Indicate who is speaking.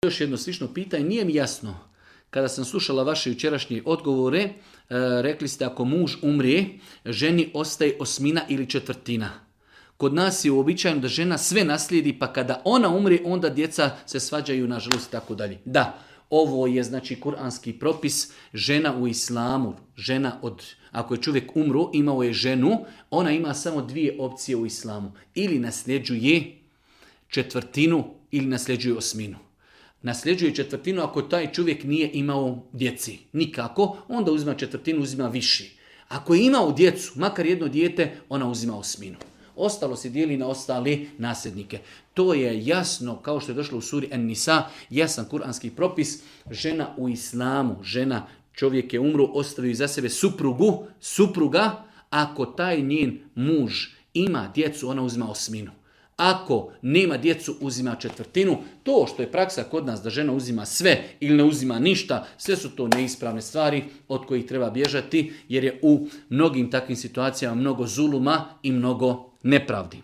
Speaker 1: Još jedno slično pitanje, nije mi jasno. Kada sam slušala vaše jučerašnje odgovore, rekli ste ako muž umrije, ženi ostaje 1/8 ili 1/4. Kod nas je uobičajeno da žena sve naslijedi, pa kada ona umrije, onda djeca se svađaju, nažalost, i tako dalje. Da, ovo je znači kuranski propis, žena u islamu, ako je čovjek umro, imao je ženu, ona ima samo 2 opcije u islamu. Ili nasljeđuje 1/4 ili nasljeđuje 1/8. Nasljeđuje 1/4 ako taj čovjek nije imao djeci. Nikako, onda uzima 1/4, uzima više. Ako je imao djecu, makar jedno dijete, ona uzima 1/8. Ostalo se dijeli na ostale nasljednike. To je jasno, kao što je došlo u suri En-Nisa, jasan kuranski propis. Žena u islamu, čovjek je umro, ostavio iza sebe supruga, ako taj njen muž ima djecu, ona uzima 1/8. Ako nema djecu, uzima 1/4. To što je praksa kod nas da žena uzima sve ili ne uzima ništa, sve su to neispravne stvari od kojih treba bježati, jer je u mnogim takvim situacijama mnogo zuluma i mnogo nepravdi.